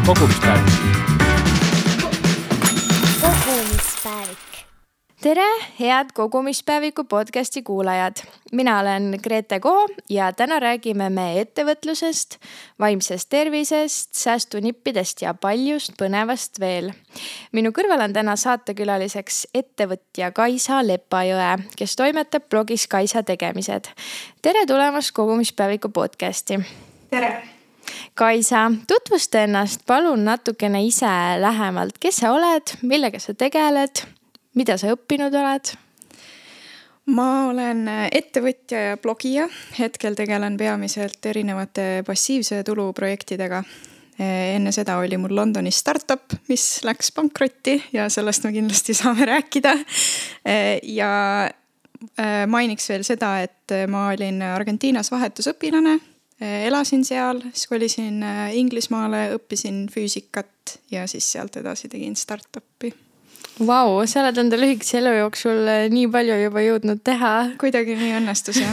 kogumispäevik. Tere, head kogumispäeviku podcasti kuulajad. Mina olen Grete Koo ja täna räägime me ettevõtlusest, vaimsest tervisest, säästunippidest ja paljust põnevast veel. Minu kõrval on täna saatekülaliseks ettevõtja Kaisa Lepajõe, kes toimetab blogis Kaisa tegemised. Tere tulemast kogumispäeviku podcasti. Tere! Kaisa, tutvusta ennast palun natukene ise lähemalt. Kes sa oled, millega sa tegeled? Mida sa õppinud oled? Ma olen ettevõtja ja blogija. Hetkel tegelen peamiselt erinevate passiivse tulu projektidega. Enne seda oli mul Londonis startup, mis läks pankrotti ja sellest me kindlasti saame rääkida. Ja mainiks veel seda, et ma olin Argentiinas vahetusõpilane. Elasin seal, siis kolisin Inglismaale, õppisin füüsikat ja siis sealt edasi tegin startupi. Vau, sa oled enda lühikese elu jooksul nii palju juba jõudnud teha. Kuidagi nii õnnestus, jah.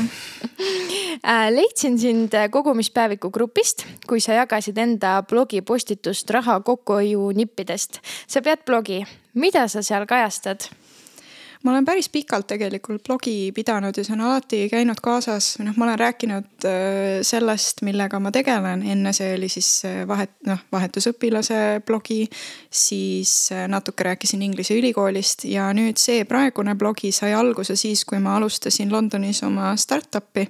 Leidsin sind kogumispäeviku grupist, kui sa jagasid enda blogi postitust raha kokkuhoiu nippidest. Sa pead blogi. Mida sa seal kajastad? Ma olen päris pikalt tegelikult blogi pidanud ja see on alati käinud kaasas. Ma olen rääkinud sellest, millega ma tegelen. Enne see oli siis vahetusõpilase blogi, siis natuke rääkisin Inglise ülikoolist ja nüüd see praegune blogi sai alguse siis, kui ma alustasin Londonis oma startupi.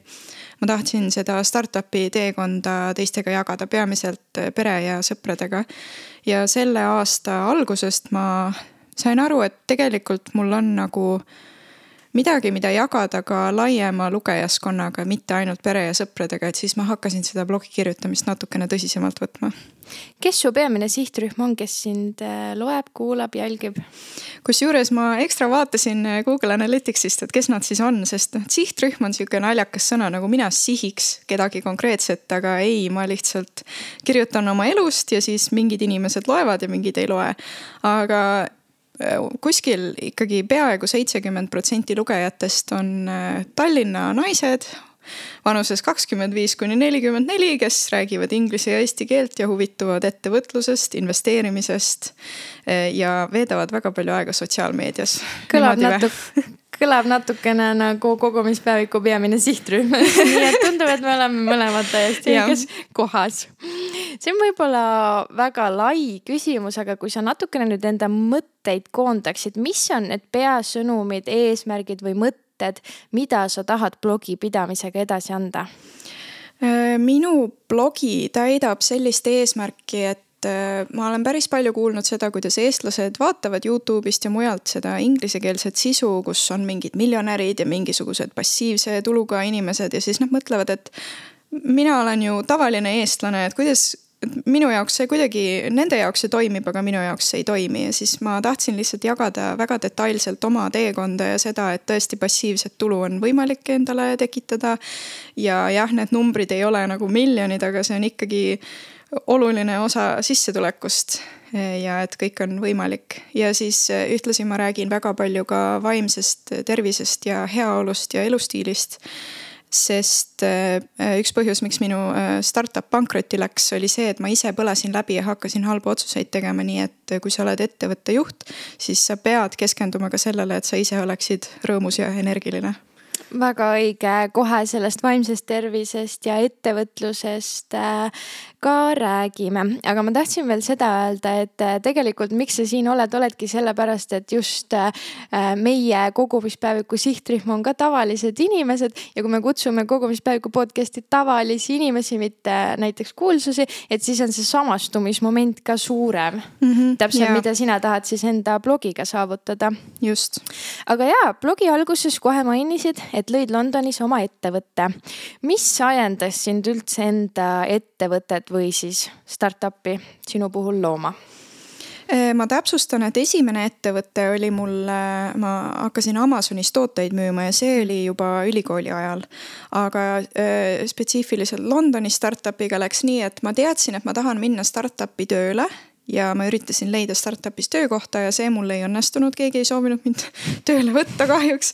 Ma tahtsin seda startupi teekonda teistega jagada, peamiselt pere ja sõpradega. Ja selle aasta algusest ma sain aru, et tegelikult mul on nagu midagi, mida jagada ka laiema lugejaskonnaga, mitte ainult pere ja sõpradega, et siis ma hakkasin seda blogi kirjutamist natukene tõsisemalt võtma. Kes su peamine sihtrühm on, kes sind loeb, kuulab, jälgib? Kusjuures ma ekstra vaatasin Google Analyticsist, et kes nad siis on, sest sihtrühm on siuke naljakas sõna, nagu mina sihiks kedagi konkreetset, aga ei, ma lihtsalt kirjutan oma elust ja siis mingid inimesed loevad ja mingid ei loe. Aga kuskil ikkagi peaaegu 70% lugejatest on Tallinna naised vanuses 25–44, kes räägivad inglise ja eesti keelt ja huvituvad ettevõtlusest, investeerimisest ja veedavad väga palju aega sotsiaalmeedias. Kõlab natukene nagu kogumispäeviku peamine sihtrühm. Nii et tundub, et me oleme mõlemad täiesti õiges kohas. See on võib-olla väga lai küsimus, aga kui sa natukene nüüd enda mõtteid koondaksid, mis on need peasõnumid, eesmärgid või mõtted, mida sa tahad blogi pidamisega edasi anda? Minu blogi täidab sellist eesmärki, et ma olen päris palju kuulnud seda, kuidas eestlased vaatavad YouTube'ist ja mujalt seda inglisekeelset sisu, kus on mingid miljonärid ja mingisugused passiivse tuluga inimesed ja siis nad mõtlevad, et mina olen ju tavaline eestlane, et kuidas minu jaoks see kuidagi, nende jaoks see toimib, aga minu jaoks see ei toimi ja siis ma tahtsin lihtsalt jagada väga detailselt oma teekonda ja seda, et tõesti passiivset tulu on võimalik endale tekitada ja jah, need numbrid ei ole nagu miljonid, aga see on ikkagi oluline osa sissetulekust ja et kõik on võimalik. Ja siis ühtlasi ma räägin väga palju ka vaimsest tervisest ja heaolust ja elustiilist, sest üks põhjus, miks minu startup pankrotti läks, oli see, et ma ise põlesin läbi ja hakkasin halbu otsuseid tegema, nii et kui sa oled ettevõtte juht, siis sa pead keskenduma ka sellele, et sa ise oleksid rõõmus ja energiline. Väga õige, kohe sellest vaimsest tervisest ja ettevõtlusest ka räägime. Aga ma tahtsin veel seda öelda, et tegelikult miks sa siin oledki sellepärast, et just meie kogumispäeviku sihtrühm on ka tavalised inimesed ja kui me kutsume kogumispäeviku podcasti tavalisi inimesi, mitte näiteks kuulsusi, et siis on see samastumismoment ka suurem. Täpselt, mida sina tahad siis enda blogiga saavutada. Just. Aga blogi alguses kohe mainisid, et lõid Londonis oma ettevõtte. Mis ajendas sind üldse enda ettevõtet või siis startupi sinu puhul looma? Ma täpsustan, et esimene ettevõte oli mul, ma hakkasin Amazonis tooteid müüma ja see oli juba ülikooli ajal. Aga spetsiifiliselt Londoni startupiga läks nii, et ma teadsin, et ma tahan minna startupi tööle ja ma üritasin leida startupis töökohta ja see mul ei õnnestunud, keegi ei soovinud mind tööle võtta kahjuks.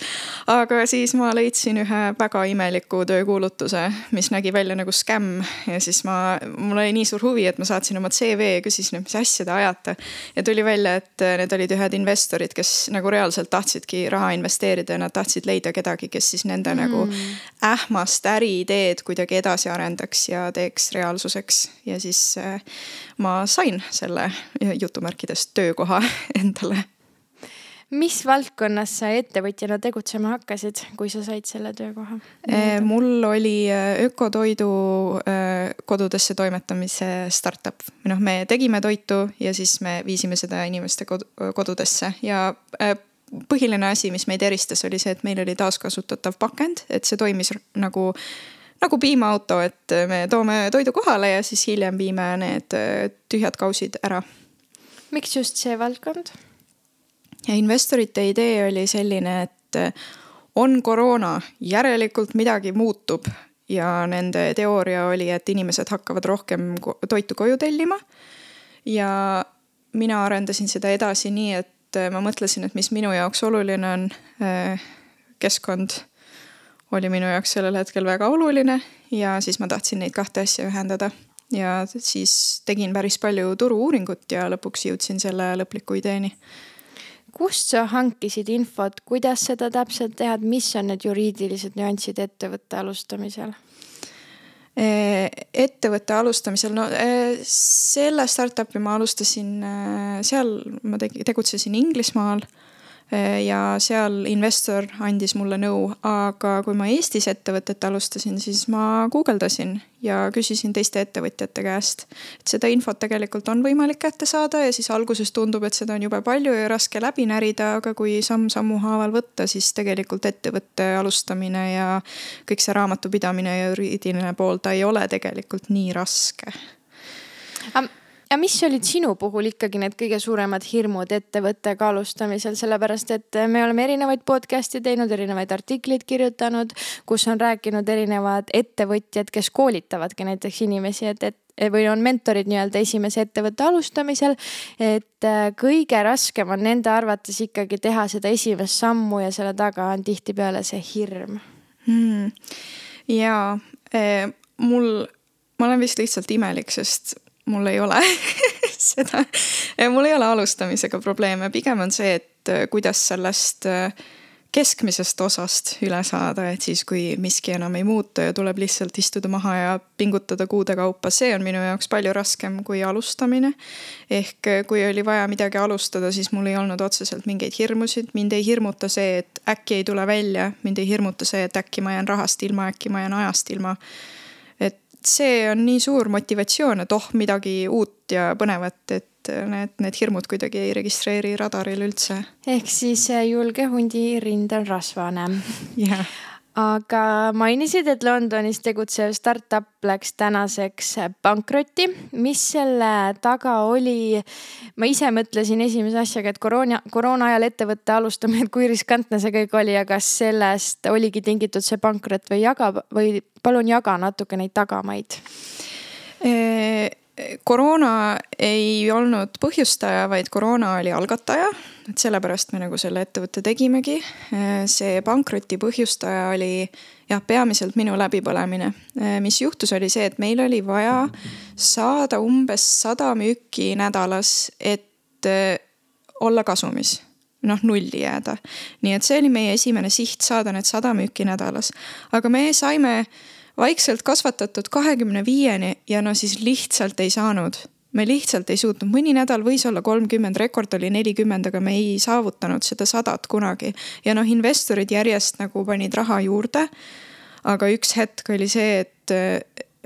Aga siis ma leidsin ühe väga imeliku töökuulutuse, mis nägi välja nagu skämm ja siis mul oli nii suur huvi, et ma saatsin oma CV ja küsisin, et mis asja te ajate. Ja tuli välja, et need olid ühed investorid, kes nagu reaalselt tahtsidki raha investeerida ja nad tahtsid leida kedagi, kes siis nende nagu ähmast äriideed kuidagi edasi arendaks ja teeks reaalsuseks. Ja siis ma sain selle jutumärkides töökoha endale. Mis valdkonnas sa ettevõtjana tegutsema hakkasid, kui sa said selle töökoha? Mul oli ökotoidu kodudesse toimetamise startup. Me tegime toitu ja siis me viisime seda inimeste kodudesse ja põhiline asi, mis meid eristas, oli see, et meil oli taaskasutatav pakend, et see toimis nagu piimaauto, et me toome toidu kohale ja siis hiljem viime need tühjad kausid ära. Miks just see valdkond? Ja investorite idee oli selline, et on koroona, järelikult midagi muutub ja nende teooria oli, et inimesed hakkavad rohkem toitu koju tellima. Ja mina arendasin seda edasi nii, et ma mõtlesin, et mis minu jaoks oluline on, keskkond oli minu jaoks sellel hetkel väga oluline ja siis ma tahtsin neid kahte asja ühendada ja siis tegin päris palju turu-uuringut ja lõpuks jõudsin selle lõpliku ideeni. Kust sa hankisid infot, kuidas seda täpselt teha, mis on need juriidilised nüansid ettevõtte alustamisel? Ettevõtte alustamisel, selle startupi ma alustasin, seal ma tegutsesin Inglismaal ja seal investor andis mulle nõu, aga kui ma Eestis ettevõtet alustasin, siis ma guugeldasin ja küsisin teiste ettevõtjate käest, et seda infot tegelikult on võimalik kätte saada ja siis alguses tundub, et seda on jube palju ja raske läbi närida, aga kui sammu haaval võtta, siis tegelikult ettevõtte alustamine ja kõik see raamatupidamine ja juriidiline pool, ta ei ole tegelikult nii raske. Ja mis olid sinu puhul ikkagi need kõige suuremad hirmud ettevõttega alustamisel, sellepärast et me oleme erinevaid podcasti teinud, erinevaid artikleid kirjutanud, kus on rääkinud erinevad ettevõtjad, kes koolitavadki näiteks inimesi, või on mentorid nii-öelda esimese ettevõtte alustamisel, et kõige raskem on nende arvates ikkagi teha seda esimest sammu ja selle taga on tihtipeale see hirm. Ja ma olen vist lihtsalt imelik, sest mul ei ole seda, mul ei ole alustamisega probleeme, pigem on see, et kuidas sellest keskmisest osast üle saada, et siis kui miski enam ei muutu ja tuleb lihtsalt istuda maha ja pingutada kuude kaupa, see on minu jaoks palju raskem kui alustamine. Ehk kui oli vaja midagi alustada, siis mul ei olnud otseselt mingeid hirmusid, mind ei hirmuta see, et äkki ei tule välja, mind ei hirmuta see, et äkki ma jään rahast ilma, äkki ma jään ajast ilma. See on nii suur motivatsioon, et midagi uut ja põnevat, et need hirmud kuidagi ei registreeri radaril üldse. Ehk siis julge hundi rind on rasvane. Yeah. Aga mainisid, et Londonis tegutsev startup läks tänaseks pankrotti. Mis selle taga oli? Ma ise mõtlesin esimese asjaga, et koroona ajal ettevõtte alustamine, kui riskantne see kõik oli ja kas sellest oligi tingitud see pankrot või palun jaga natuke neid tagamaid. Koroona ei olnud põhjustaja, vaid koroona oli algataja, et sellepärast me nagu selle ettevõtte tegimegi. See pankroti põhjustaja oli peamiselt minu läbipõlemine. Mis juhtus oli see, et meil oli vaja saada umbes 100 müüki nädalas, et olla kasumis. Nulli jääda. Nii et see oli meie esimene siht saada need 100 müüki nädalas. Aga me saime vaikselt kasvatatud 25-ni ja siis lihtsalt ei saanud. Me lihtsalt ei suutnud. Mõni nädal võis olla 30, rekord oli 40, aga me ei saavutanud seda 100 kunagi. Ja investorid järjest nagu panid raha juurde. Aga üks hetk oli see, et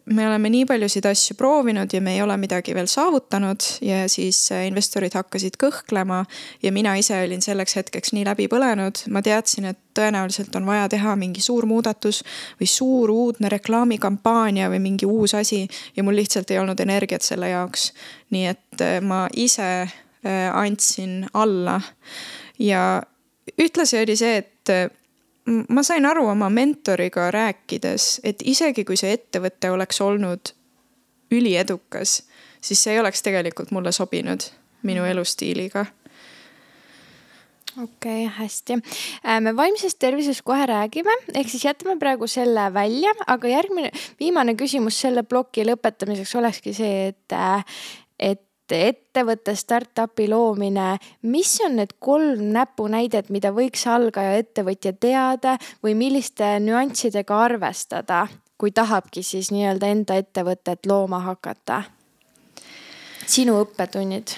me oleme nii paljusid asju proovinud ja me ei ole midagi veel saavutanud ja siis investorid hakkasid kõhklema ja mina ise olin selleks hetkeks nii läbi põlenud. Ma teadsin, et tõenäoliselt on vaja teha mingi suur muudatus või suur uudne reklaamikampaania või mingi uus asi ja mul lihtsalt ei olnud energiat selle jaoks. Nii et ma ise andsin alla ja ühtlasi oli see, et ma sain aru oma mentoriga rääkides, et isegi kui see ettevõte oleks olnud üliedukas, siis see ei oleks tegelikult mulle sobinud minu elustiiliga. Okei, hästi. Me vaimsest tervisest kohe räägime, ehk siis jätame praegu selle välja, aga viimane küsimus selle ploki lõpetamiseks olekski see, et ettevõtte startupi loomine, mis on need 3 näpunäidet, mida võiks algaja ettevõtja teada või milliste nüanssidega arvestada, kui tahabki siis nii-öelda enda ettevõtet looma hakata? Sinu õppetunnid?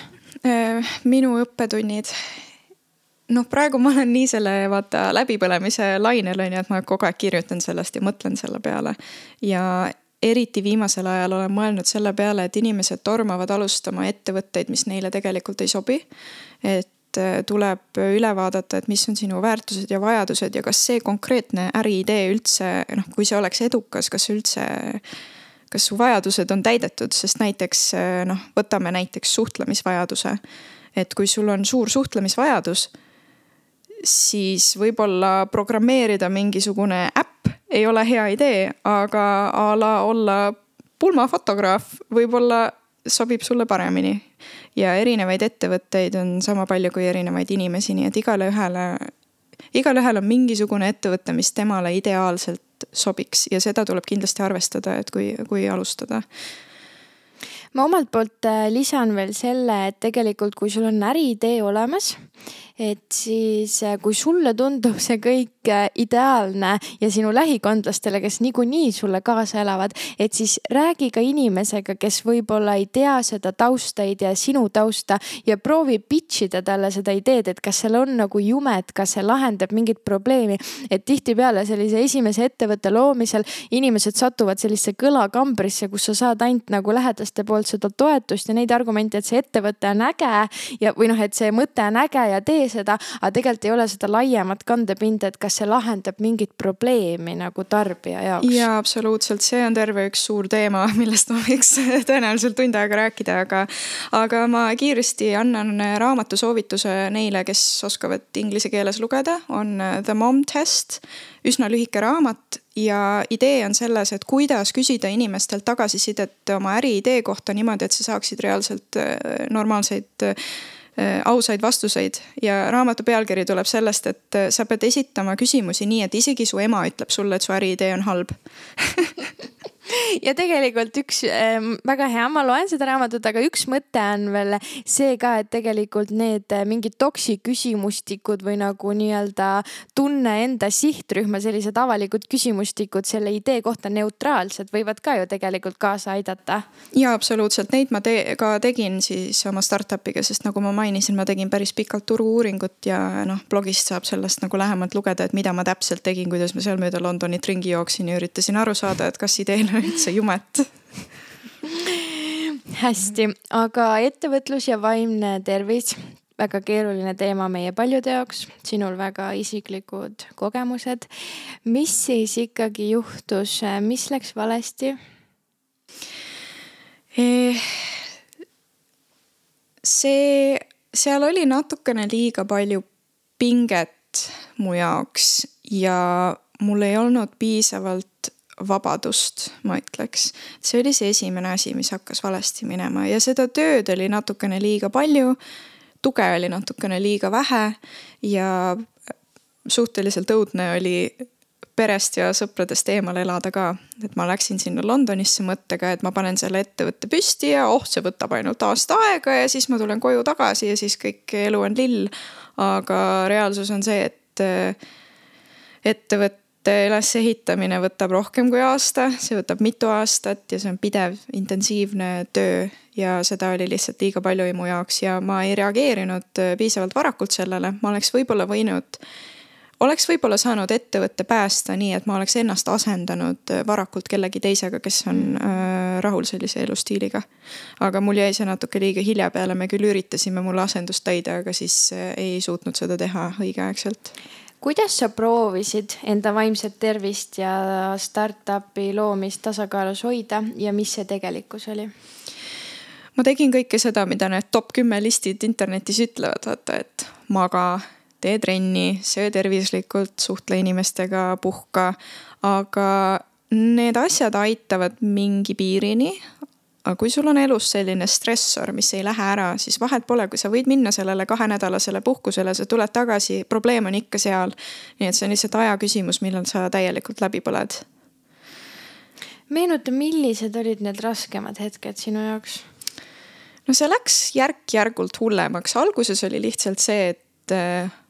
Minu õppetunnid? Praegu ma olen nii selle läbipõlemise lainel, et ma kogu aeg kirjutan sellest ja mõtlen selle peale. Ja eriti viimasel ajal olen mõelnud selle peale, et inimesed tormavad alustama ettevõtteid, mis neile tegelikult ei sobi. Et tuleb üle vaadata, et mis on sinu väärtused ja vajadused ja kas see konkreetne äriidee üldse, kui see oleks edukas, kas su vajadused on täidetud, sest näiteks, võtame näiteks suhtlemisvajaduse. Et kui sul on suur suhtlemisvajadus, siis võib-olla programmeerida mingisugune äpp ei ole hea idee, aga olla pulmafotograaf võib-olla sobib sulle paremini. Ja erinevaid ettevõtteid on sama palju kui erinevaid inimesi, nii et igalühel on mingisugune ettevõte, mis temale ideaalselt sobiks ja seda tuleb kindlasti arvestada, et kui alustada. Ma omalt poolt lisan veel selle, et tegelikult kui sul on äriidee olemas, et siis kui sulle tundub see kõik ideaalne ja sinu lähikondlastele, kes niikuinii sulle kaasa elavad, et siis räägi ka inimesega, kes võib-olla ei tea seda tausta, ei tea sinu tausta ja proovi pitchida talle seda ideed, et kas seal on nagu jumet, kas see lahendab mingit probleemi. Et tihtipeale sellise esimese ettevõtte loomisel inimesed satuvad sellisse kõlakambrisse, kus sa saad ainult nagu lähedaste poolt seda toetust ja neid argumente, et see ettevõte on äge ja, või et see mõte on äge ja tee seda, aga tegelikult ei ole seda laiemat kandepinda, et kas see lahendab mingit probleemi nagu tarbija jaoks. Ja absoluutselt, see on terve üks suur teema, millest ma võiks tõenäoliselt tund aega rääkida, aga ma kiiresti annan raamatu soovituse neile, kes oskavad inglise keeles lugeda, on The Mom Test, üsna lühike raamat ja idee on selles, et kuidas küsida inimestelt tagasisidet oma äriidee kohta niimoodi, et sa saaksid reaalselt normaalseid ausaid vastuseid ja raamatu pealkiri tuleb sellest, et sa pead esitama küsimusi nii, et isegi su ema ütleb sulle, et su äriidee on halb. Ja tegelikult üks väga hea, ma loen seda raamatut, aga üks mõte on veel see ka, et tegelikult need mingid toksiküsimustikud või nagu nii-öelda tunne enda sihtrühma, sellised avalikud küsimustikud selle idee kohta neutraalsed võivad ka ju tegelikult kaasa aidata. Ja absoluutselt, neid ma ka tegin siis oma startupiga, sest nagu ma mainisin, ma tegin päris pikalt turu-uuringut ja blogist saab sellest nagu lähemalt lugeda, et mida ma täpselt tegin, kuidas ma seal mööda Londonit ringi jooksin ja üritasin aru saada, et kas ideel üldse jumet. Hästi, aga ettevõtlus ja vaimne tervis, väga keeruline teema meie paljude jaoks, sinul väga isiklikud kogemused. Mis siis ikkagi juhtus, mis läks valesti? Seal oli natukene liiga palju pinget mu jaoks ja mul ei olnud piisavalt vabadust, ma ütleks. See oli see esimene asi, mis hakkas valesti minema ja seda tööd oli natukene liiga palju, tuge oli natukene liiga vähe ja suhteliselt õudne oli perest ja sõpradest eemal elada ka. Et ma läksin sinna Londonisse mõttega, et ma panen selle ettevõtte püsti ja see võtab ainult aasta aega ja siis ma tulen koju tagasi ja siis kõik elu on lill. Aga reaalsus on see, et ettevõtte ülesehitamine võtab rohkem kui aasta, see võtab mitu aastat ja see on pidev, intensiivne töö ja seda oli lihtsalt liiga palju mu jaoks ja ma ei reageerinud piisavalt varakult sellele. Ma oleks võib-olla saanud ettevõtte päästa nii, et ma oleks ennast asendanud varakult kellegi teisega, kes on rahul sellise elustiiliga. Aga mul jäi see natuke liiga hilja peale, me küll üritasime mulle asendust täida, aga siis ei suutnud seda teha õigeaegselt. Kuidas sa proovisid enda vaimset tervist ja startupi loomist tasakaalus hoida ja mis see tegelikkus oli? Ma tegin kõike seda, mida need top 10 listid internetis ütlevad, vaata, et maga, tee trenni, söö tervislikult, suhtle inimestega, puhka, aga need asjad aitavad mingi piirini, aga kui sul on elus selline stressor, mis ei lähe ära, siis vahet pole, kui sa võid minna sellele 2-nädalasele puhkusele, sa tuled tagasi, probleem on ikka seal. Nii et see on lihtsalt aja küsimus, millal sa täielikult läbi põled. Meenuta, millised olid need raskemad hetked sinu jaoks? No see läks järk-järgult hullemaks. Alguses oli lihtsalt see, et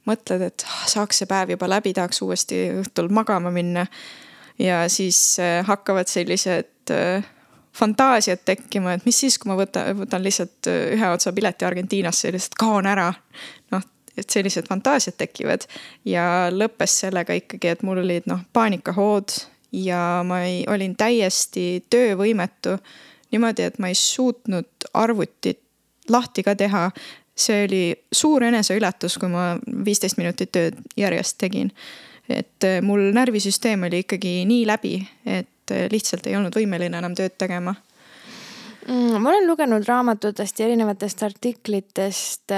mõtled, et saaks see päev juba läbi, tahaks uuesti õhtul magama minna. Ja siis hakkavad sellised fantaasiad tekkima, et mis siis, kui ma võtan lihtsalt ühe otsa pileti Argentiinasse ja lihtsalt kaon ära. Noh, et sellised fantaasiad tekivad. Ja lõppes sellega ikkagi, et mul olid paanikahood ja ma olin täiesti töövõimetu. Niimoodi, et ma ei suutnud arvutit lahti ka teha. See oli suur eneseületus, kui ma 15 minutit tööd järjest tegin. Et mul närvisüsteem oli ikkagi nii läbi, et lihtsalt ei olnud võimeline enam tööd tegema. Ma olen lugenud raamatutest ja erinevatest artiklitest,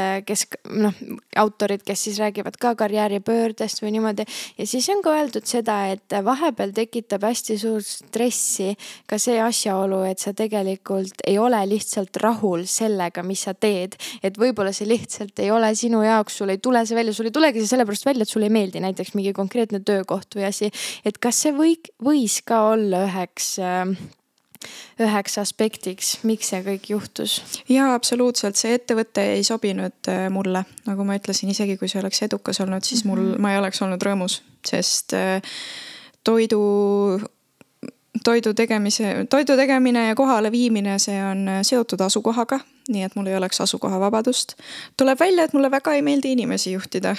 autorid, kes siis räägivad ka karjääripöördest või niimoodi. Ja siis on ka öeldud seda, et vahepeal tekitab hästi suur stressi ka see asjaolu, et sa tegelikult ei ole lihtsalt rahul sellega, mis sa teed. Et võib-olla see lihtsalt ei ole sinu jaoks, sul ei tule see välja, sul ei tulegi see sellepärast välja, et sul ei meeldi näiteks mingi konkreetne töökoht või asi. Et kas see võis ka olla üheks aspektiks, miks see kõik juhtus? Jaa, absoluutselt. See ettevõte ei sobinud mulle. Nagu ma ütlesin, isegi kui see oleks edukas olnud, siis ma ei oleks olnud rõõmus, sest toidu tegemine ja kohale viimine, see on seotud asukohaga, nii et mul ei oleks asukoha vabadust. Tuleb välja, et mulle väga ei meeldi inimesi juhtida.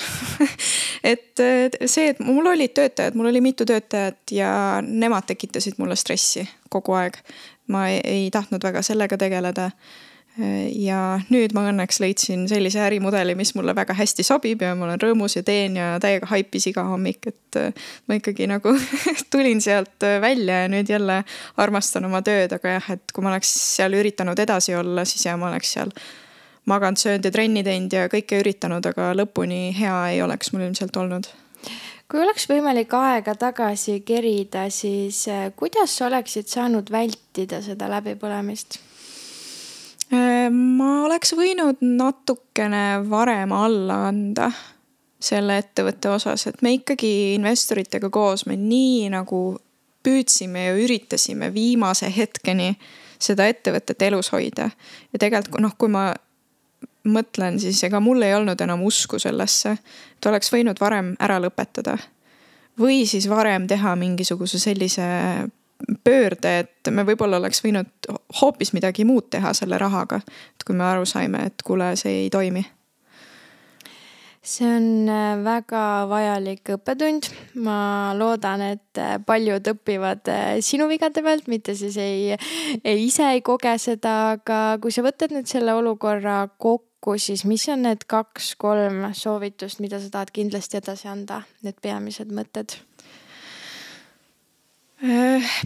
Et see, et mul olid töötajad, mul oli mitu töötajat ja nemad tekitasid mulle stressi kogu aeg. Ma ei tahtnud väga sellega tegeleda. Ja nüüd ma õnneks leidsin sellise ärimudeli, mis mulle väga hästi sobib ja ma olen rõõmus ja teen ja täiega haipis iga hommik, et ma ikkagi nagu tulin sealt välja ja nüüd jälle armastan oma tööd, aga jah, et kui ma oleks seal üritanud edasi olla, siis ma oleks seal maganud, söönud ja trenni teinud ja kõike üritanud, aga lõpuni hea ei oleks mul ilmselt olnud. Kui oleks võimalik aega tagasi kerida, siis kuidas oleksid saanud vältida seda läbipõlemist? Ma oleks võinud natukene varem alla anda selle ettevõtte osas, et me ikkagi investoritega koos me nii nagu püüdsime ja üritasime viimase hetkeni seda ettevõtet elus hoida. Ja tegelikult, kui ma mõtlen, siis ega mul ei olnud enam usku sellesse, et oleks võinud varem ära lõpetada. Või siis varem teha mingisuguse sellise pöörde, et me võib-olla oleks võinud hoopis midagi muud teha selle rahaga, et kui me aru saime, et kuule, see ei toimi. See on väga vajalik õppetund. Ma loodan, et paljud õpivad sinu vigade pealt, mitte siis ise ei koge seda, aga kui sa võtad nüüd selle olukorra kokku, siis mis on need 2-3 soovitust, mida sa tahad kindlasti edasi anda, need peamised mõtted?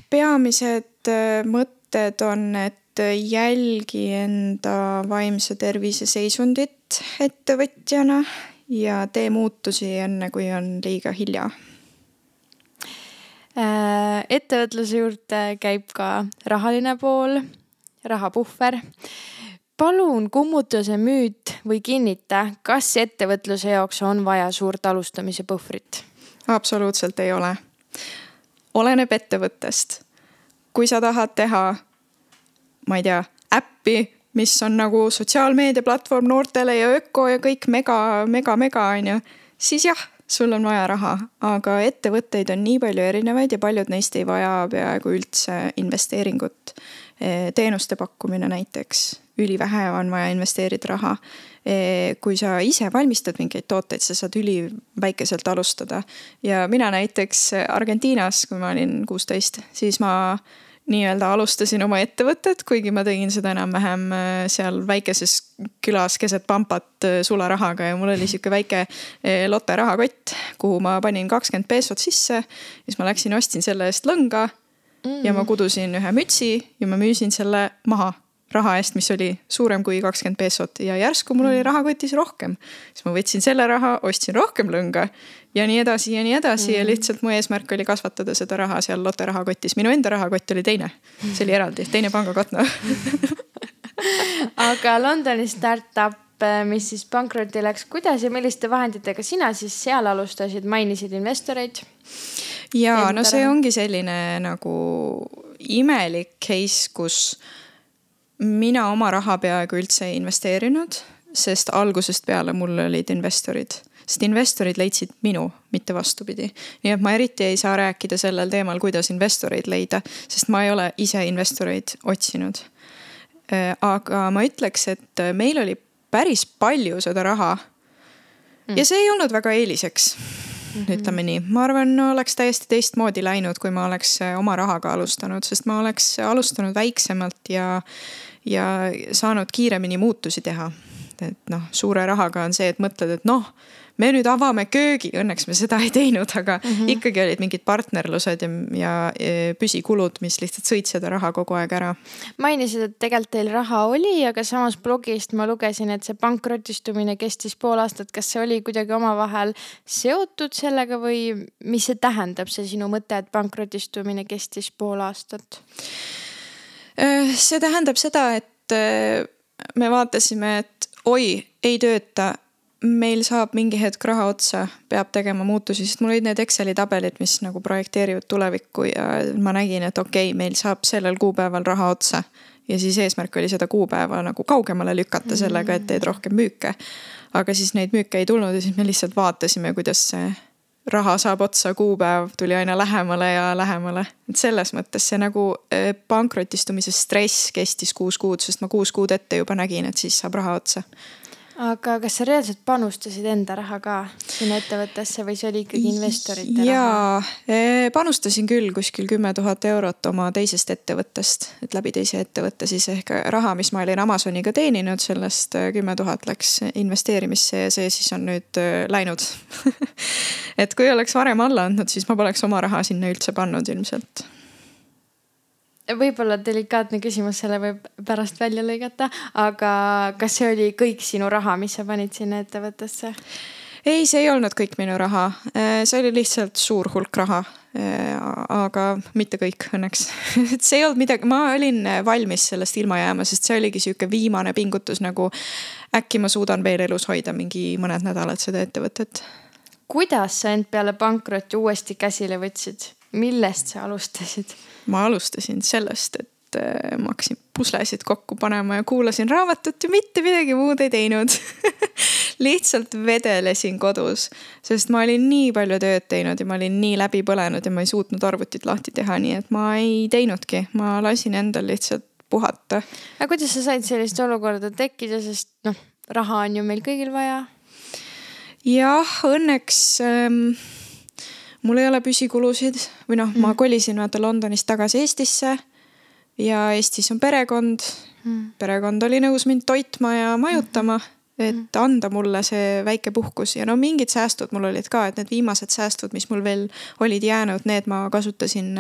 Peamised mõtted on, et jälgi enda vaimse tervise seisundit ettevõtjana ja tee muutusi enne, kui on liiga hilja. Ettevõtluse juurde käib ka rahaline pool, rahapuhver. Palun kummuta see müüt või kinnita, kas ettevõtluse jaoks on vaja suurt alustamise puhvrit? Absoluutselt ei ole. Oleneb ettevõttest. Kui sa tahad teha, ma ei tea, äppi, mis on nagu sotsiaalmeedia platvorm noortele ja öko ja kõik mega, on ju, siis jah, sul on vaja raha. Aga ettevõtteid on nii palju erinevaid ja paljud neist ei vaja peaaegu üldse investeeringut. Teenuste pakkumine näiteks. Ülivähe on vaja investeerida raha. Kui sa ise valmistad mingeid tooteid, sa saad üliväikeselt alustada. Ja mina näiteks Argentiinas, kui ma olin 16, siis ma nii-öelda alustasin oma ettevõtet, kuigi ma tegin seda enam-vähem seal väikeses külas keset pampat sularahaga ja mul oli siuke väike lotte rahakott, kuhu ma panin 20 peesot sisse. Siis ma läksin, ostsin selle eest lõnga ja ma kudusin ühe mütsi ja ma müüsin selle maha. raha eest, mis oli suurem kui 20 peesot ja järsku mul oli rahakotis rohkem. Siis ma võtsin selle raha, ostsin rohkem lõnga ja nii edasi ja lihtsalt mu eesmärk oli kasvatada seda raha seal Lotte rahakotis. Minu enda rahakott oli teine, see oli eraldi, teine pangakotno. Aga Londoni startup, mis siis pankrotti läks, kuidas ja milliste vahenditega sina siis seal alustasid, mainisid investoreid? Ja no see ongi selline nagu imelik case, kus mina oma raha peaaegu üldse ei investeerinud, sest algusest peale mul olid investorid. Sest investorid leidsid minu, mitte vastupidi. Nii et ma eriti ei saa rääkida sellel teemal, kuidas investoreid leida, sest ma ei ole ise investoreid otsinud. Aga ma ütleks, et meil oli päris palju seda raha ja see ei olnud väga eeliseks. Ütleme nii, ma arvan, oleks täiesti teistmoodi läinud, kui ma oleks oma rahaga alustanud, sest ma oleks alustanud väiksemalt ja saanud kiiremini muutusi teha. Et suure rahaga on see, et mõtled, et me nüüd avame köögi, õnneks me seda ei teinud, aga ikkagi olid mingid partnerlused ja püsikulud, mis lihtsalt sõid seda raha kogu aeg ära. Mainisid, et tegelikult teil raha oli, aga samas blogist ma lugesin, et see pankrotistumine kestis pool aastat. Kas see oli kuidagi omavahel seotud sellega või mis see tähendab, see sinu mõte, et pankrotistumine kestis pool aastat? See tähendab seda, et me vaatasime, et ei tööta, meil saab mingi hetk raha otsa, peab tegema muutusi, sest mul olid need Exceli tabelid, mis nagu projekteerivad tulevikku ja ma nägin, et meil saab sellel kuupäeval raha otsa ja siis eesmärk oli seda kuupäeva nagu kaugemale lükata sellega, et teed rohkem müüke. Aga siis neid müüke ei tulnud ja siis me lihtsalt vaatasime, kuidas see raha saab otsa, kuupäev tuli aina lähemale ja lähemale. Et selles mõttes see nagu pankrotistumise stress kestis 6 kuud, sest ma 6 kuud ette juba nägin, et siis saab raha otsa. Aga kas sa reaalselt panustasid enda raha ka sinna ettevõttesse või see oli ikkagi investorite raha? Jaa, panustasin küll kuskil 10 000 eurot oma teisest ettevõttest, et läbi teise ettevõtte siis ehk raha, mis ma olin Amazoniga teeninud, sellest 10 000 läks investeerimisse ja see siis on nüüd läinud. Et kui oleks varem alla andnud, siis ma poleks oma raha sinna üldse pannud ilmselt. Võib-olla delikaatne küsimus, selle võib pärast välja lõigata, aga kas see oli kõik sinu raha, mis sa panid sinna ettevõttesse? Ei, see ei olnud kõik minu raha. See oli lihtsalt suur hulk raha, aga mitte kõik õnneks. See ei olnud midagi, ma olin valmis sellest ilma jääma, sest see oligi siuke viimane pingutus, nagu äkki ma suudan veel elus hoida mingi mõned nädalad seda ettevõtet. Kuidas sa end peale pankrotti uuesti käsile võtsid? Millest sa alustasid? Ma alustasin sellest, et ma hakkasin puslesid kokku panema ja kuulasin raamatut ja mitte midagi muud ei teinud. Lihtsalt vedelesin kodus, sest ma olin nii palju tööd teinud ja ma olin nii läbi põlenud ja ma ei suutnud arvutit lahti teha, nii et ma ei teinudki. Ma lasin endal lihtsalt puhata. Aga kuidas sa said sellist olukorda tekkida, sest raha on ju meil kõigil vaja? Jah, õnneks mul ei ole püsikulusid või ma kolisin Londonist tagasi Eestisse ja Eestis on perekond. Perekond oli nõus mind toitma ja majutama, et anda mulle see väike puhkus ja mingid säästud mul olid ka, et need viimased säästud, mis mul veel olid jäänud, need ma kasutasin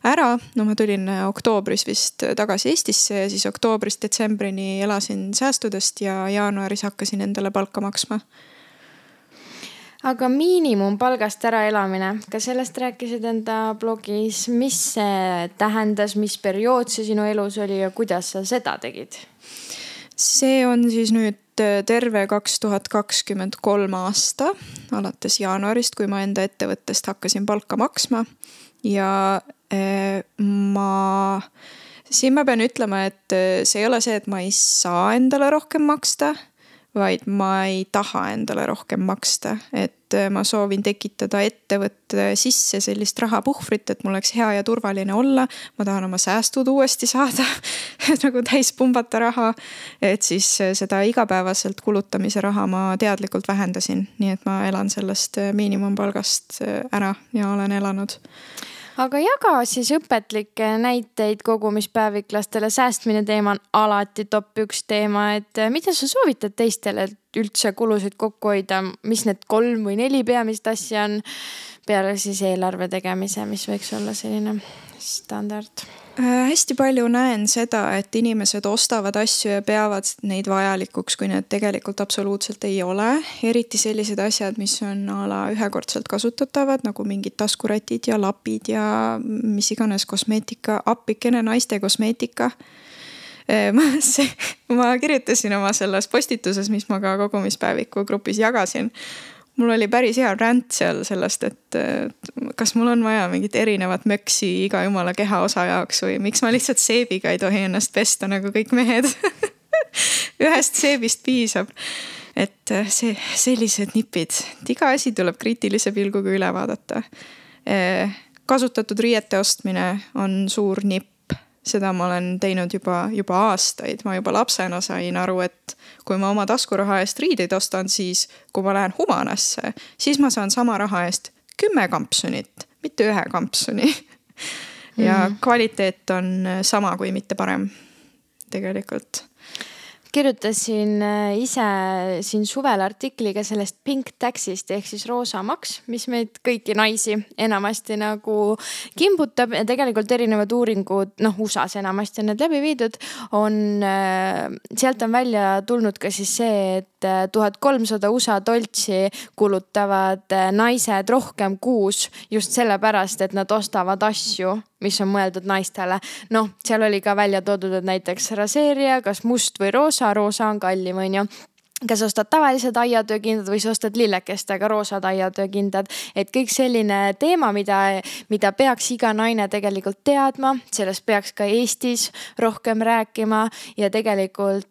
ära. Ma tulin oktoobris vist tagasi Eestisse ja siis oktoobrist detsembrini elasin säästudest ja jaanuaris hakkasin endale palka maksma. Aga miinimumpalgast ära elamine, kas sellest rääkisid enda blogis, mis see tähendas, mis periood see sinu elus oli ja kuidas sa seda tegid? See on siis nüüd terve 2023 aasta, alates jaanuarist, kui ma enda ettevõttest hakkasin palka maksma ja siin ma pean ütlema, et see ei ole see, et ma ei saa endale rohkem maksta, vaid ma ei taha endale rohkem maksta, et ma soovin tekitada ettevõtte sisse sellist rahapuhvrit, et mul oleks hea ja turvaline olla. Ma tahan oma säästud uuesti saada, nagu täis pumbata raha, et siis seda igapäevaselt kulutamise raha ma teadlikult vähendasin, nii et ma elan sellest miinimumpalgast ära ja olen elanud. Aga jaga siis õpetlikke näiteid kogumispäeviklastele. Säästmine teema on alati top 1 teema, et mida sa soovitad teistele üldse kulusid kokku hoida, mis need 3 või 4 peamist asja on peale siis eelarve tegemise, mis võiks olla selline standard? Hästi palju näen seda, et inimesed ostavad asju ja peavad neid vajalikuks, kui need tegelikult absoluutselt ei ole. Eriti sellised asjad, mis on ala ühekordselt kasutatavad, nagu mingid taskurätid ja lapid ja mis iganes kosmeetika, appikene naiste kosmeetika. Ma kirjutasin oma selles postituses, mis ma ka kogumispäeviku grupis jagasin. Mul oli päris hea rant seal sellest, et kas mul on vaja mingit erinevat möksi iga jumala kehaosa jaoks või miks ma lihtsalt seebiga ei tohi ennast pesta nagu kõik mehed. Ühest seebist piisab. Et sellised nipid. Iga asi tuleb kriitilise pilguga üle vaadata. Kasutatud riiete ostmine on suur nipp. Seda ma olen teinud juba aastaid. Ma juba lapsena sain aru, et kui ma oma taskuraha eest riideid ostan, siis kui ma lähen Humanasse, siis ma saan sama raha eest 10 kampsunit, mitte 1 kampsuni. Ja kvaliteet on sama kui mitte parem tegelikult. Kirjutasin ise siin suvel artikliga sellest pink taxist ehk siis roosa maks, mis meid kõiki naisi enamasti nagu kimbutab ja tegelikult erinevad uuringud, USAs enamasti on need läbi viidud, sealt on välja tulnud ka siis see, et 1300 USA doltsi kulutavad naised rohkem kuus just sellepärast, et nad ostavad asju, mis on mõeldud naistele. Seal oli ka välja toodud, et näiteks raseerija, kas must või roosa on kallim, on ju. Kas ostad tavalised aiatöökindad või sa ostad lillekestega roosad aiatöökindad. Et kõik selline teema, mida peaks iga naine tegelikult teadma, sellest peaks ka Eestis rohkem rääkima ja tegelikult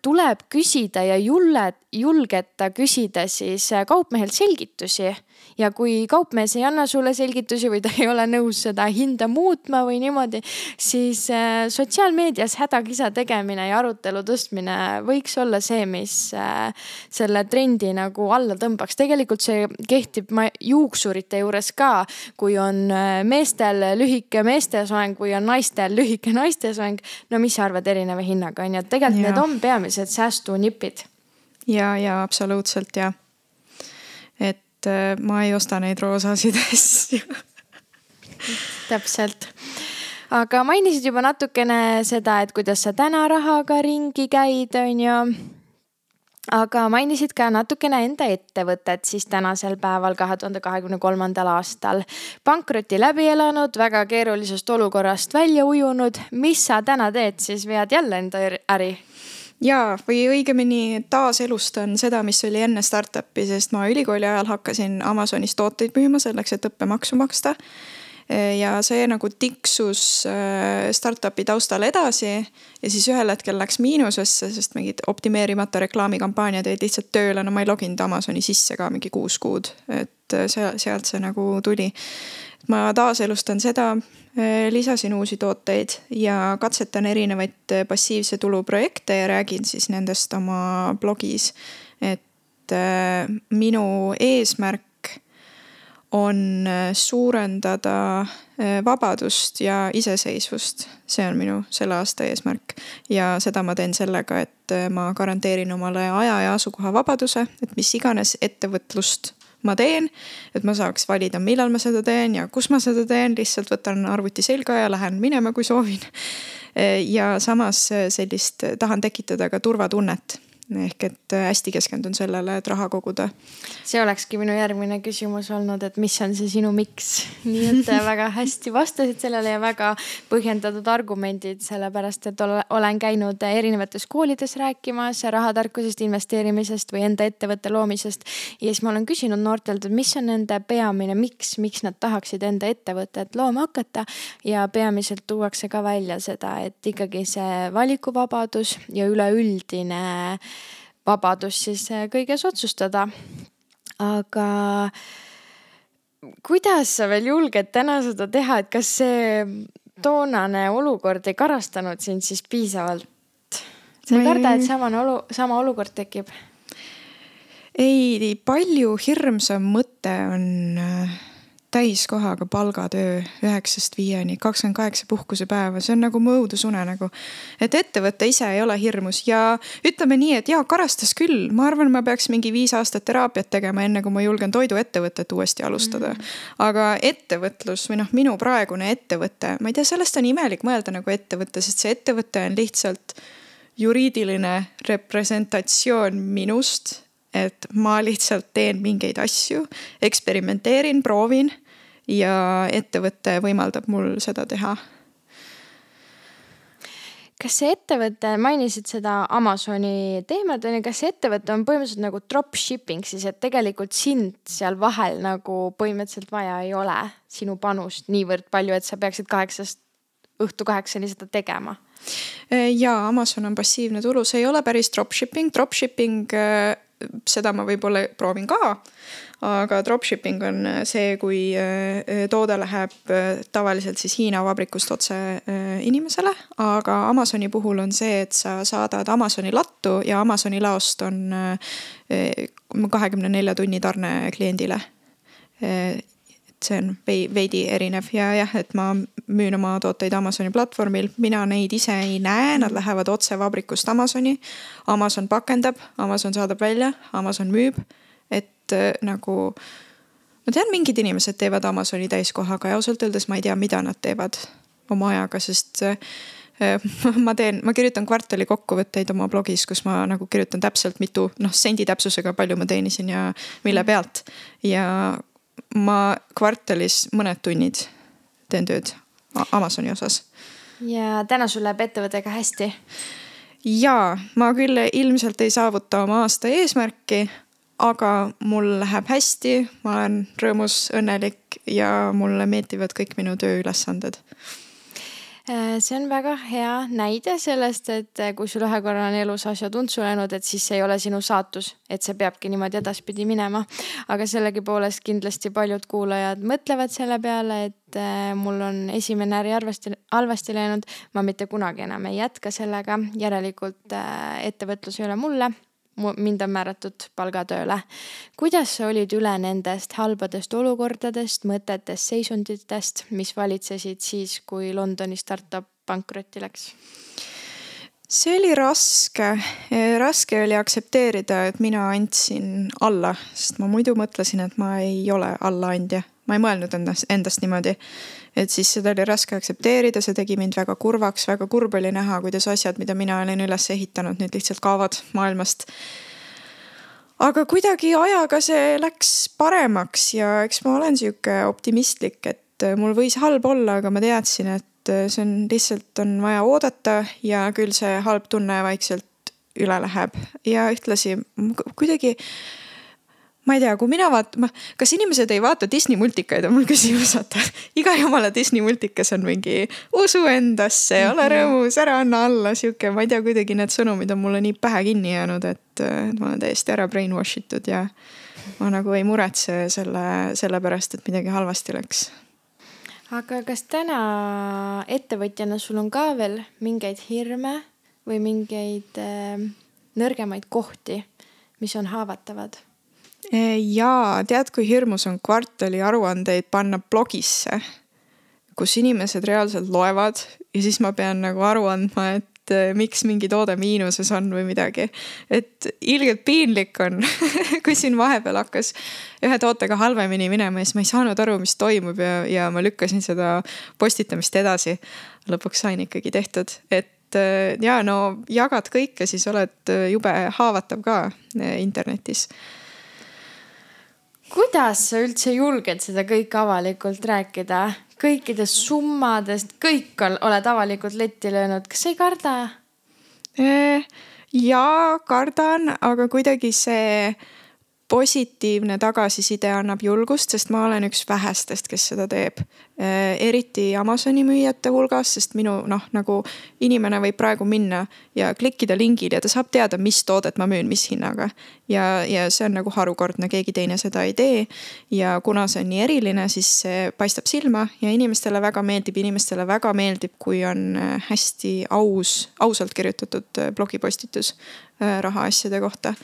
tuleb küsida ja julgeta küsida siis kaupmehelt selgitusi. Ja kui kaupmees ei anna sulle selgitusi või ta ei ole nõus seda hinda muutma või niimoodi, siis sotsiaalmeedias hädakisa tegemine ja arutelu tõstmine võiks olla see, mis selle trendi nagu alla tõmbaks. Tegelikult see kehtib juuksurite juures ka, kui on meestel lühike meestesoeng või on naistel lühike naistesoeng. Mis sa arvad erineva hinnaga? Tegelikult need on peamised säästunipid. Ja absoluutselt ja. Et ma ei osta neid roosasid asju. Täpselt. Aga mainisid juba natukene seda, et kuidas sa täna rahaga ringi käid, on ju. Aga mainisid ka natukene enda ettevõtet siis tänasel päeval 2023. aastal. Pankroti läbi elanud, väga keerulisest olukorrast välja ujunud. Mis sa täna teed, siis vead jälle enda äri? Ja, või õigemini taaselustan seda, mis oli enne startupi, sest ma ülikooli ajal hakkasin Amazonis tooteid müüma selleks, et õppemaksu maksta. Ja see nagu tiksus startupi taustal edasi ja siis ühel hetkel läks miinusesse, sest mingid optimeerimata reklaamikampaaniad jäid lihtsalt tööle. Ma ei loginud Amazoni sisse ka mingi 6 kuud, et sealt see nagu tuli. Ma taaselustan seda, lisasin uusi tooteid ja katsetan erinevaid passiivse tulu projekte ja räägin siis nendest oma blogis. Et minu eesmärk on suurendada vabadust ja iseseisvust. See on minu selle aasta eesmärk. Ja seda ma teen sellega, et ma garanteerin omale aja ja asukoha vabaduse, et mis iganes ettevõtlust ma teen, et ma saaks valida, millal ma seda teen ja kus ma seda teen, lihtsalt võtan arvuti selga ja lähen minema, kui soovin. Ja samas tahan tekitada ka turvatunnet. Ehk et hästi keskendun sellele, et raha koguda. See olekski minu järgmine küsimus olnud, et mis on see sinu miks? Nii et väga hästi vastasid sellele ja väga põhjendatud argumendid, sellepärast et olen käinud erinevates koolides rääkimas rahatarkusest, investeerimisest või enda ettevõtte loomisest. Ja siis ma olen küsinud noortelt, et mis on nende peamine miks nad tahaksid enda ettevõtet looma hakata. Ja peamiselt tuuakse ka välja seda, et ikkagi see valikuvabadus ja üleüldine vabadus siis kõiges otsustada. Aga kuidas sa veel julged täna seda teha, et kas see toonane olukord ei karastanud sind siis piisavalt? Sa ei karda, et sama olukord tekib? Ei, palju hirmsam mõte on täiskohaga palgatöö 9-5, 28 puhkusepäeva, see on nagu mu õudusunenägu. Et ettevõte ise ei ole hirmus ja ütleme nii, et jaa, karastas küll. Ma arvan, ma peaks mingi 5 aastat teraapiat tegema, enne kui ma julgen toiduettevõtet uuesti alustada. Aga ettevõtlus või minu praegune ettevõte, ma ei tea, sellest on imelik mõelda nagu ettevõte, sest see ettevõte on lihtsalt juriidiline representatsioon minust, et ma lihtsalt teen mingeid asju, eksperimenteerin, proovin ja ettevõte võimaldab mul seda teha. Kas see ettevõte, mainisid seda Amazoni teemat, kas see ettevõte on põhimõtteliselt nagu dropshipping siis, et tegelikult sind seal vahel nagu põhimõtteliselt vaja ei ole sinu panust niivõrd palju, et sa peaksid 8 õhtu 8 seda tegema? Jaa, Amazon on passiivne tulu, see ei ole päris dropshipping. Dropshipping, seda ma võib-olla proovin ka, aga dropshipping on see, kui toode läheb tavaliselt siis Hiina vabrikust otse inimesele, aga Amazoni puhul on see, et sa saadad Amazoni lattu ja Amazoni laost on 24 tunni tarne kliendile. See on veidi erinev ja jah, et ma müün oma tooteid Amazoni platvormil. Mina neid ise ei näe, nad lähevad otse vabrikust Amazoni. Amazon pakendab, Amazon saadab välja, Amazon müüb. Et nagu, ma tean, mingid inimesed teevad Amazoni täiskohaga ja ausalt öeldes ma ei tea, mida nad teevad oma ajaga, sest ma kirjutan kvartali kokkuvõtteid oma blogis, kus ma nagu kirjutan täpselt mitu, sendi täpsusega palju ma teenisin ja mille pealt. Ja ma kvartalis mõned tunnid teen tööd Amazoni osas. Ja täna sul läheb ettevõttega hästi? Jaa, ma küll ilmselt ei saavuta oma aasta eesmärki, aga mul läheb hästi, ma olen rõõmus, õnnelik ja mulle meeldivad kõik minu tööülesanded. See on väga hea näide sellest, et kui sul ühe korra on elus asjad untsu läinud, et siis see ei ole sinu saatus, et see peabki niimoodi edaspidi minema. Aga sellegi poolest kindlasti paljud kuulajad mõtlevad selle peale, et mul on esimene äri halvasti läinud, ma mitte kunagi enam ei jätka sellega, järelikult ettevõtlus ei ole mulle. Mind on määratud palgatööle. Kuidas sa olid üle nendest halbadest olukordadest, mõtetest, seisunditest, mis valitsesid siis, kui Londoni startup pankrotti läks? See oli raske. Raske oli aktsepteerida, et mina andsin alla, sest ma muidu mõtlesin, et ma ei ole allaandja. Ma ei mõelnud endast niimoodi. Et siis seda oli raske aktsepteerida, see tegi mind väga kurvaks, väga kurb oli näha, kuidas asjad, mida mina olen üles ehitanud, nüüd lihtsalt kaovad maailmast. Aga kuidagi ajaga see läks paremaks ja eks ma olen siuke optimistlik, et mul võis halb olla, aga ma teadsin, et see on lihtsalt on vaja oodata ja küll see halb tunne vaikselt üle läheb. Ja ühtlasi kuidagi ma ei tea, kui mina kas inimesed ei vaata Disney multikaid, on mul küsimus, iga jumala Disney multikas on mingi usu endasse, ole rõõmus, ära anna alla, siuke, ma ei tea, kuidagi need sõnumid on mulle nii pähe kinni jäänud, et ma olen täiesti ära brainwashitud ja ma nagu ei muretse selle pärast, et midagi halvasti läks. Aga kas täna ettevõtjana sul on ka veel mingeid hirme või mingeid nõrgemaid kohti, mis on haavatavad? Jaa, tead, kui hirmus on kvartali aruandeid panna blogisse, kus inimesed reaalselt loevad ja siis ma pean nagu aru andma, et miks mingi toode miinuses on või midagi. Et ilgelt piinlik on, kui siin vahepeal hakkas ühe tootega halvemini minema ja siis ma ei saanud aru, mis toimub ja ma lükkasin seda postitamist edasi. Lõpuks sain ikkagi tehtud, et jaa, no jagad kõike, siis oled jube haavatav ka internetis. Kuidas sa üldse julged seda kõik avalikult rääkida? Kõikidest summadest, kõik oled avalikult letti löönud. Kas sa ei karda? Jaa, kardan, aga kuidagi see positiivne tagasiside annab julgust, sest ma olen üks vähestest, kes seda teeb. Eriti Amazoni müüjate hulgas, sest minu nagu inimene võib praegu minna ja klikkida lingil ja ta saab teada, mis toodet ma müün, mis hinnaga. Ja see on nagu harukordne, keegi teine seda ei tee. Ja kuna see on nii eriline, siis see paistab silma ja inimestele väga meeldib, kui on hästi ausalt kirjutatud blogipostitus rahaasjade kohta.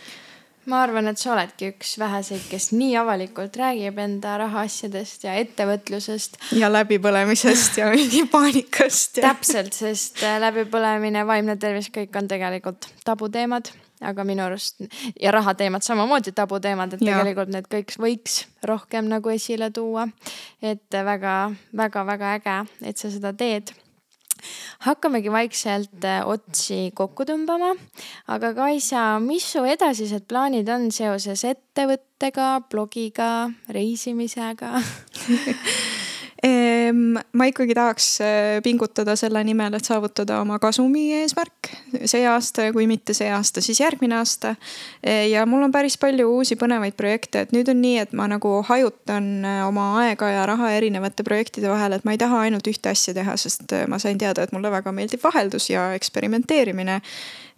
ma arvan, et sa oledki üks väheseid, kes nii avalikult räägib enda rahaasjadest ja ettevõtlusest. Ja läbipõlemisest ja mingi paanikast. Täpselt, sest läbipõlemine, vaimne tervis, kõik on tegelikult tabuteemad, aga minu arust ja rahateemad samamoodi tabuteemad, et tegelikult need kõik võiks rohkem nagu esile tuua. Et väga äge, et sa seda teed. Hakkamegi vaikselt otsi kokku tõmbama, aga Kaisa, mis su edasised plaanid on seoses ettevõttega, blogiga, reisimisega? Ma ikkagi tahaks pingutada selle nimel, et saavutada oma kasumi eesmärk see aasta ja kui mitte see aasta, siis järgmine aasta. Ja mul on päris palju uusi põnevaid projekte, et nüüd on nii, et ma nagu hajutan oma aega ja raha erinevate projektide vahel, et ma ei taha ainult ühte asja teha, sest ma sain teada, et mulle väga meeldib vaheldus ja eksperimenteerimine.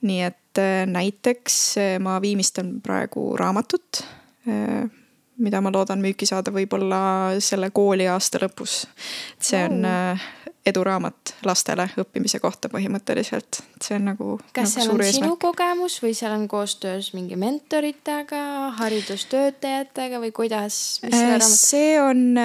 Nii et näiteks ma viimistlen praegu raamatut, mida ma loodan müüki saada võib-olla selle kooli aasta lõpus. See on eduraamat lastele õppimise kohta põhimõtteliselt. See on nagu kas seal suur on sinu eesmärk. kogemus või seal on koostöös mingi mentoritega, haridustöötajatega või kuidas? See on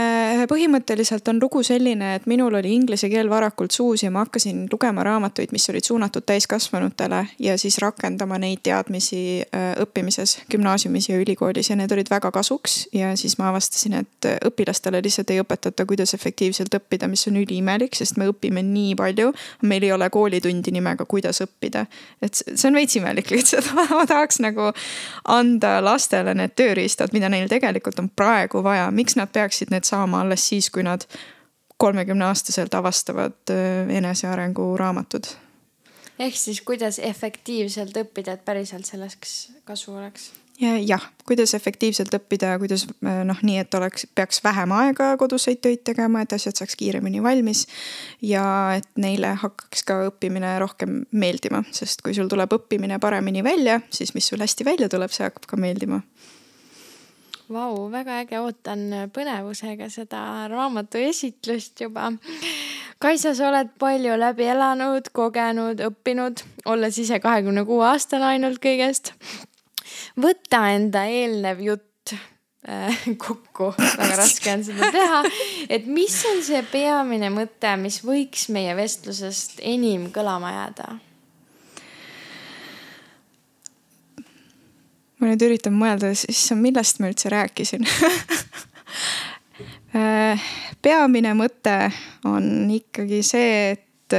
põhimõtteliselt on lugu selline, et minul oli inglise keel varakult suus ja ma hakkasin lugema raamatuid, mis olid suunatud täiskasvanutele ja siis rakendama neid teadmisi õppimises gümnaasiumis ja ülikoolis ja need olid väga kasuks ja siis ma avastasin, et õpilastele lihtsalt ei õpetata, kuidas efektiivselt õppida, mis on üliimelik, sest me õpime nii palju, meil ei ole koolitundi nimega, kuidas õppida. Et see on veits imelik lihtsalt. Ma tahaks nagu anda lastele need tööriistad, mida neil tegelikult on praegu vaja. Miks nad peaksid need saama alles siis, kui nad 30-aastaselt avastavad enesearengu raamatud? Ehk siis kuidas efektiivselt õppida, et päriselt selleks kasu oleks? Jah, kuidas efektiivselt õppida, kuidas nii, et peaks vähem aega koduseid töid tegema, et asjad saaks kiiremini valmis ja et neile hakkaks ka õppimine rohkem meeldima, sest kui sul tuleb õppimine paremini välja, siis mis sul hästi välja tuleb, see hakkab ka meeldima. Vau, väga äge, ootan põnevusega seda raamatu esitlust juba. Kaisa, sa oled palju läbi elanud, kogenud, õppinud, olles ise 26 aastane ainult kõigest. Võta enda eelnev jutt kokku, väga raske on seda teha, et mis on see peamine mõte, mis võiks meie vestlusest enim kõlama jääda? Ma nüüd üritan mõelda, millest ma üldse rääkisin. Peamine mõte on ikkagi see, et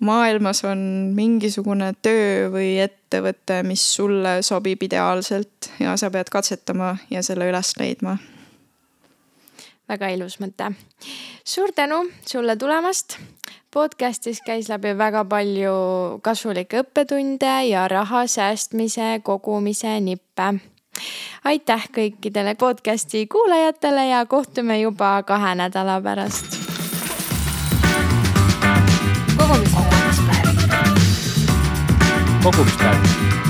maailmas on mingisugune töö või ettevõte, mis sulle sobib ideaalselt ja sa pead katsetama ja selle üles leidma. Väga ilus mõte. Suur tänu sulle tulemast. Podcastis käis läbi väga palju kasulikke õppetunde ja raha säästmise, kogumise nippe. Aitäh kõikidele podcasti kuulajatele ja kohtume juba 2 nädala pärast. Kogumispäev.